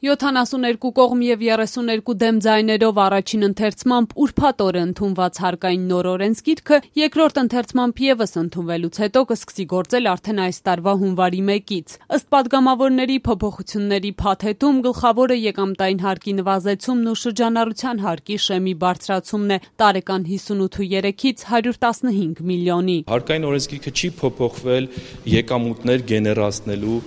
72 կողմ եւ 32 դեմ ձայներով առաջին ընթերցմամբ ուրբաթ օրը ընդունված հարկային նոր օրենսգիրքը երկրորդ ընթերցմամբ եւս ընդունվելուց հետո կսկսի գործել արդեն այս տարվա հունվարի 1-ից։ Ըստ падգամավորների փոփոխությունների փաթեթում գլխավորը եկամտային հարկի նվազեցումն ու շրջանառության հարկի շեմի բարձրացումն է տարեկան 58.3-ից 115 միլիոնի։ Հարկային օրենսգիրքը չի փոփոխվել եկամուտներ գեներացնելու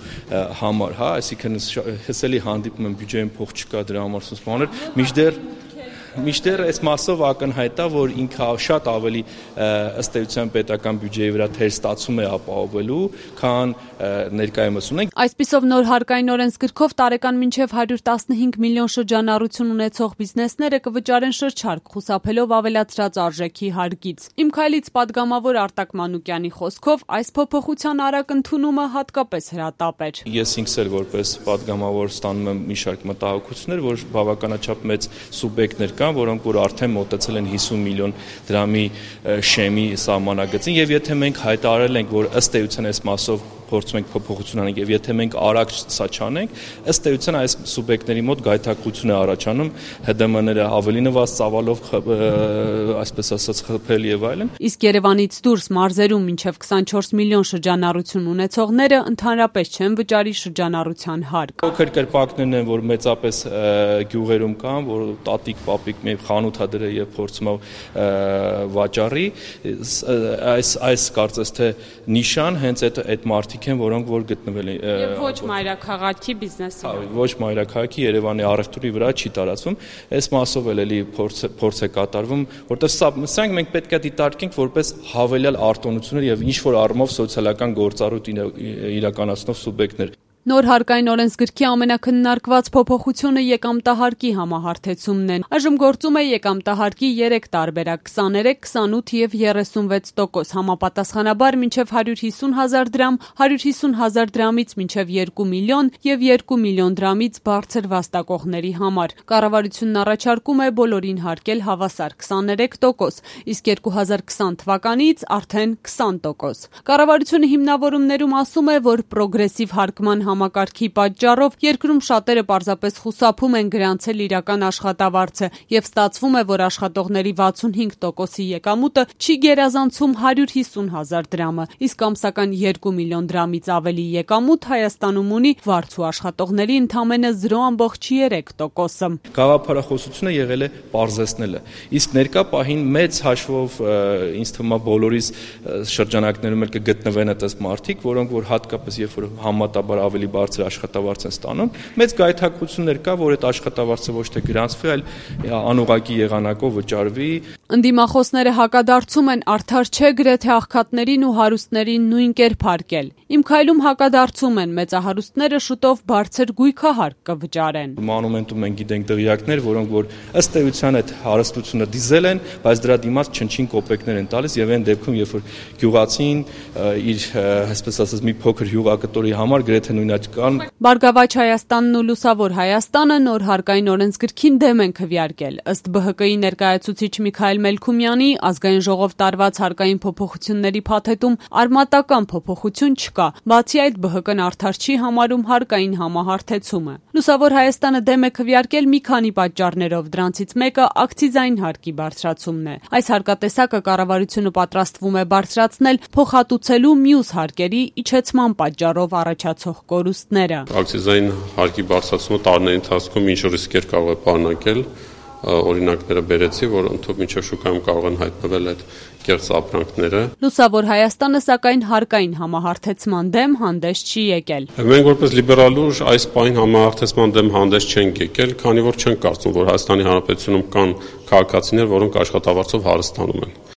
համար, այսինքն հսելի հանդիպում բյուջեին փող չկա դրա համար սուս բաներ, միշտեր այս մասով ակնհայտ է, որ ինքը շատ ավելի ըստ էության պետական բյուջեի վրա թեր ստացում է ապահովելու, քան ներկայումս ունենք։ Այսպիսով նոր հարկային օրենսգրքով տարեկան մինչև 115 միլիոն շրջանառություն ունեցող բիզնեսները կվճարեն շրջարկ, խուսափելով ավելացրած արժեքի հարկից։ Իմ քայլից падգամավոր Արտակ Մանուկյանի խոսքով այս փոփոխության արագ ընդունումը հատկապես հրատապ էր։ Ես ինքս էլ որպես падգամավոր ստանում եմ մի շարք մտահոգություններ, որ բավականաչափ մեծ սուբյեկտներ կան, որոնք որ արդեն մոտեցել են 50 միլիոն դրամի շեմի սահմանագծին, եւ եթե մենք հայտարարել ենք, որ ըստ էության այս մասով փորձում ենք փոփոխություն անել, եւ եթե մենք արագ սա չանենք, ըստ էության այս սուբյեկտների մոտ գայթակղություն է առաջանում, ՀԴՄ-ները ավելի նվազ ծավալով, այսպես ասած, խփել եւ այլն։ Իսկ Երևանից դուրս մարզերում մինչև 24 միլիոն շրջանառություն ունեցողները ընդհանրապես չեն վճարի շրջանառության հարկ։ Փոքր կրպակներն են, որ մեծապես գյուղերում կան, որ տատիկ, պապիկ մի խանութ ա դրել եւ փորձում է վաճառի, այս կարծես թե նիշան հենց այդ մարդիկ են, որոնք որ գտնվել են եւ ոչ մայրաքաղաքի բիզնեսը։ Ոչ մայրաքաղաքի Երևանի առևտուրի վրա չի տարածվում։ Այս մասով էլի փորձ է կատարվում, որտեղ սրանք մենք պետք է դիտարկենք որպես հավելյալ արտոնություններ եւ ինչ որ առումով սոցիալական գործառույթ իրականացնող սուբյեկտներ։ Նոր հարկային օրենսգրքի ամենակննարկված փոփոխությունը եկամտահարկի համահարթեցումն է։ Այժմ գործում է եկամտահարկի 3 տարբերակ՝ 23, 28 եւ 36%, համապատասխանաբար մինչև 150,000 դրամ, 150,000 դրամից մինչև 2 միլիոն եւ 2 միլիոն դրամից բարձր վաստակողների համար։ Կառավարությունն առաջարկում է բոլորին հարկել հավասար 23%, իսկ 2020 թվականից արդեն 20%։ Կառավարությունը հիմնավորումներում ասում է, որ պրոգրեսիվ հարկման համակարգի պատճառով երկրում շատերը պարզապես խուսափում են գրանցել իրական աշխատավարձը եւ ստացվում է, որ աշխատողների 65%-ի եկամուտը չի գերազանցում 150,000 դրամը, իսկ ամսական 2 միլիոն դրամից ավելի եկամուտ Հայաստանում ունի վարձու աշխատողների ընդամենը 0.3%-ը։ Գաղափարախոսությունը եղել է պարզեցնելը, իսկ ներկա պահին մեծ հաշվով ինձ թվում է բոլորիս շրջանակներում էլ կգտնվեն այդպես մարդիկ, որոնք որ հատկապես երբ որ համատաբար ավելի բարձր աշխատավարձ են ստանում, մեծ գայթակղություններ կա, որ այդ աշխատավարձը ոչ թե գրանցվի, այլ անուղղակի եղանակով վճարվի։ Ընդդիմախոսները հակադարձում են արդար չէ գրեթե աղքատներին ու հարուստներին նույն կերպ հարկել։ Իմ քայլում հակադարձում են մեծահարուստները շուտով բարձր գույքահարկ կվճարեն։ Մանումենտում մենք գիտենք դղյակներ, որոնք որ ըստ էության այդ հարստությունը դիզել են, բայց դրա դիմաց չնչին կոպեկներ են տալիս եւ այն դեպքում, երբ որ գյուղացին իր, այսպես ասած, մի փոքր հյուղակտորի համար գրեթե նույն կան։ Բարգավաճ Հայաստանն ու Լուսավոր Հայաստանը նոր հարկային օրենսգրքին դեմ են քվեարկել։ Ըստ ԲՀԿ-ի ներկայացուցիչ Միքայել Մելքումյանի, ազգային ժողով տարված հարկային փոփոխությունների փաթեթում արմատական փոփոխություն չկա, բացի այդ ԲՀԿ-ն արդար չի համարում հարկային համահարթեցումը։ Լուսավոր Հայաստանը դեմ է քվեարկել մի քանի պատճառներով, դրանցից մեկը ակցիզային հարկի բարձրացումն է։ Այս հարկատեսակը կառավարությունը պատրաստվում է բարձրացնել փոխհատուցելու մյուս հարկերի իջեցման պատճառով առաջացող կորուստները։ Ակցիզային հարկի բարձրացումը տարիների ընթացքում ինչ ռիսկեր կարող է պարունակել, օրինակները բերեցի, որ ընդհանուր մինչև շուկայում կարող են հայտնվել այդ կեղծ ապրանքները։ Լուսավոր Հայաստանը սակայն հարկային համահարթեցման դեմ հանդես չի եկել։ Մենք որպես լիբերալ ուժ այս պահին համահարթեցման դեմ հանդես չենք եկել, քանի որ չենք կարծում, որ Հայաստանի Հանրապետությունում կան քաղաքացիներ, որոնք աշխատավարձով հարստանում են։